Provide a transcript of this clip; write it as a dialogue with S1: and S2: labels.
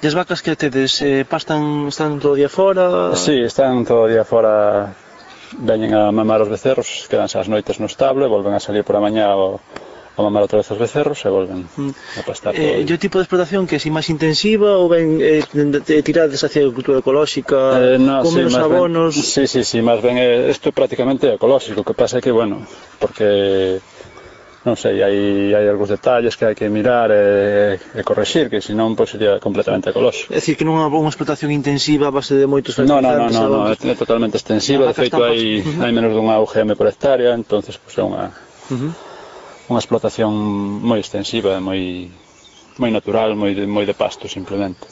S1: E as vacas que tedes, están todo o día fora?
S2: Sí, están todo o día fora, veñen a mamar os becerros, quedanse as noites no estable, volven a salir por a mañá a mamar outra vez os becerros e volven a pastar todo o
S1: E
S2: día.
S1: o tipo de explotación que é máis intensiva ou ben tirades hacia a agricultura ecolóxica,
S2: No,
S1: con
S2: sí,
S1: menos abonos?
S2: Sí, máis ben isto prácticamente é ecolóxico, o que pasa é que, bueno, porque non sei, hai algúns detalles que hai que mirar e correxir, que senón pois sería completamente ecolóxico.
S1: É dicir, que non é unha explotación intensiva a base de moitos
S2: No,
S1: fertilizantes?
S2: é totalmente extensiva, de feito hai menos dunha UGM por hectárea, entonces pois é unha explotación moi extensiva, moi natural, moi de pasto simplemente.